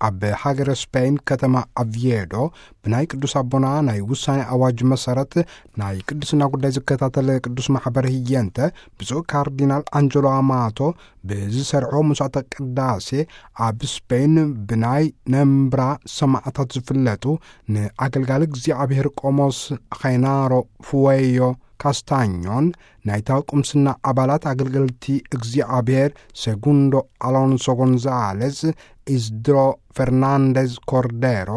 ኣብ ሃገረ ስፔን ከተማ ኣቭዬዶ ብናይ ቅዱስ ኣቦና ናይ ውሳኔ ኣዋጅ መሰረት ናይ ቅድስና ጉዳይ ዝከታተል ቅዱስ ማሕበር ህየንተ ብፁዕ ካርዲናል ኣንጀሎ ኣማቶ ብዝሰርሖ መስዋዕተ ቅዳሴ ኣብ ስፔን ብናይ ነምብራ ሰማዕታት ዝፍለጡ ንኣገልጋሊ እግዚኣብሔር ቆሞስ ኸይናሮ ፍወዮ ካስታኞን ናይታ ቁምስና ኣባላት ኣገልገልቲ እግዚኣብሔር ሴጉንዶ ኣሎንሶ ጎንዛሌስ፣ ኢስድሮ ፈርናንዴዝ ኮርዴሮ፣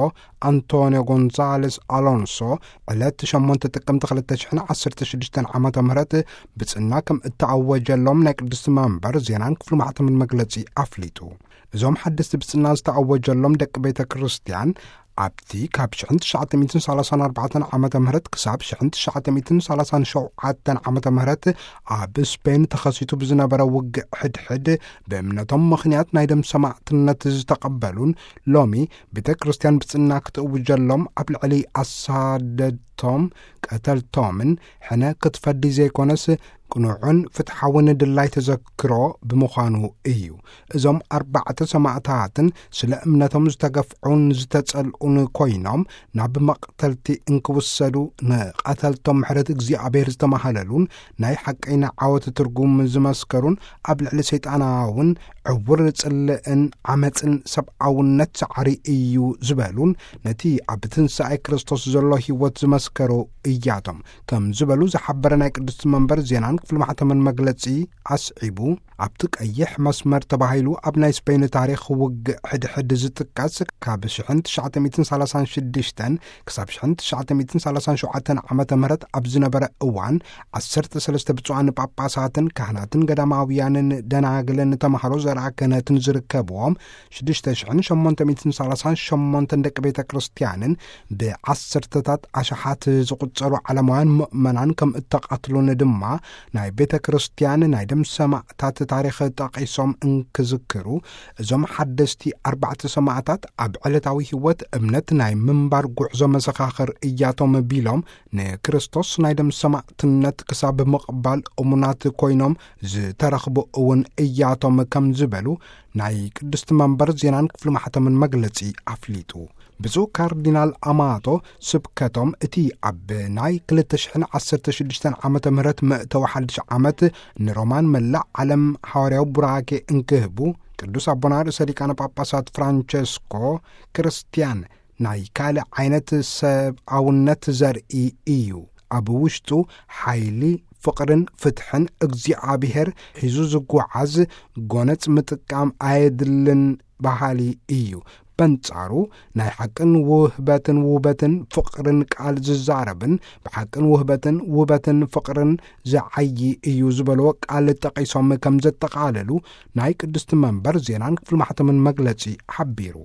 ኣንቶኒዮ ጎንዛሌስ ኣሎንሶ ዕለት ሸሞንተ ጥቅምቲ ክልተ ሽሕን ዓሰርተ ሽዱሽተን ዓመተ ምህረት ብጽና ከም እተኣወጀሎም ናይ ቅድስቲ መንበር ዜናን ክፍሊ ማሕተምን መግለጺ ኣፍሊጡ። እዞም ሓደስቲ ብጽና ዝተኣወጀሎም ደቂ ቤተ ክርስቲያን ኣብቲ ካብ ሽሕን ትሽዓተ ሚእትን ሰላሳን ኣርባዕተን ዓመተ ምህረት ክሳብ ሽሕን ትሽዓተ ሚእትን ሰላሳን ሸውዓተን ዓመተ ምህረት ኣብ ስፔን ተኸሲቱ ብዝነበረ ውግእ ሕድሕድ ብእምነቶም ምኽንያት ናይ ደም ሰማዕትነት ዝተቐበሉን ሎሚ ቤተ ክርስቲያን ብጽና ክትእውጀሎም ኣብ ልዕሊ ኣሳደድቶም ቀተልቶምን ሕነ ክትፈዲ ዘይኮነስ ቅኑዕን ፍትሓውን ድላይ ተዘክሮ ብምዃኑ እዩ። እዞም ኣርባዕተ ሰማዕታትን ስለ እምነቶም ዝተገፍዑን ዝተጸልኡን ኮይኖም ናብ መቕተልቲ እንክውሰዱ ንቐተልቶም ምሕረት እግዚኣብሔር ዝተማህለሉን ናይ ሓቀይና ዓወት ትርጉም ዝመስከሩን ኣብ ልዕሊ ሰይጣናውን ዕውር ጽልእን ዓመጽን ሰብኣውነት ሰዓሪ እዩ ዝበሉን ነቲ ኣብ ትንሳኤ ክርስቶስ ዘሎ ህይወት ዝመስከሩ እያቶም ከም ዝበሉ ዝሓበረ ናይ ቅድስቲ መንበር ዜናን ክፍሊ ማሕተምን መግለጺ ኣስዒቡ፣ ኣብቲ ቀይሕ መስመር ተባሂሉ ኣብ ናይ ስፔን ታሪኽ ውግእ ሕድሕድ ዝጥቀስ ካብ ሽሕን ትሽዓተ ሚእትን ሰላሳን ሽዱሽተን ክሳብ ሽሕን ትሽዓተ ሚእትን ሰላሳን ሸውዓተን ዓመተ ምህረት ኣብ ዝነበረ እዋን ዓሰርተ ሰለስተ ብፁዓን ጳጳሳትን ካህናትን ገዳማውያንን ደናግልን ተማሃሮ ዘርኣ ክህነትን ዝርከብዎም ሽዱሽተ ሽሕን ሸሞንተ ሚእትን ሰላሳን ሸሞንተን ደቂ ቤተ ክርስቲያንን ብዓሰርተታት ኣሽሓት ዝቑጸሩ ዓለማውያን ምእመናን ከም እተቐትሉን ድማ ናይ ቤተ ክርስቲያን ናይ ደም ሰማዕታት ታሪኽ ጠቒሶም እንክዝክሩ፣ እዞም ሓደስቲ ኣርባዕተ ሰማዕታት ኣብ ዕለታዊ ህይወት እምነት ናይ ምንባር ጉዕዞ መሰኻኽር እያቶም ቢሎም፣ ንክርስቶስ ናይ ደም ሰማዕትነት ክሳብ ምቕባል እሙናት ኮይኖም ዝተረኽቡ እውን እያቶም ከም ዝበሉ ናይ ቅድስቲ መንበር ዜናን ክፍሊ ማሕተምን መግለጺ ኣፍሊጡ። ብፁዕ ካርዲናል ኣማቶ ስብከቶም እቲ ኣብ ናይ ክልተ ሽሕን ዓሰርተ ሽዱሽተን ዓመተ ምህረት መእተዊ ሓድሽ ዓመት ንሮማን መላእ ዓለም ሓዋርያዊ ቡራኬ እንክህቡ ቅዱስ ኣቦና ርእሰ ሊቃነ ጳጳሳት ፍራንቸስኮ ክርስቲያን ናይ ካልእ ዓይነት ሰብኣውነት ዘርኢ እዩ። ኣብ ውሽጡ ሓይሊ፣ ፍቕርን ፍትሕን እግዚኣብሔር ሒዙ ዝጓዓዝ ጎነጽ ምጥቃም ኣየድልን በሃሊ እዩ። በንጻሩ ናይ ሓቅን ውህበትን ውበትን ፍቕርን ቃል ዝዛረብን ብሓቅን ውህበትን ውበትን ፍቕርን ዝዓዪ እዩ ዝበልዎ ቃል ጠቒሶም ከም ዘጠቓለሉ ናይ ቅድስቲ መንበር ዜናን ክፍሊ ማሕተምን መግለጺ ሓቢሩ።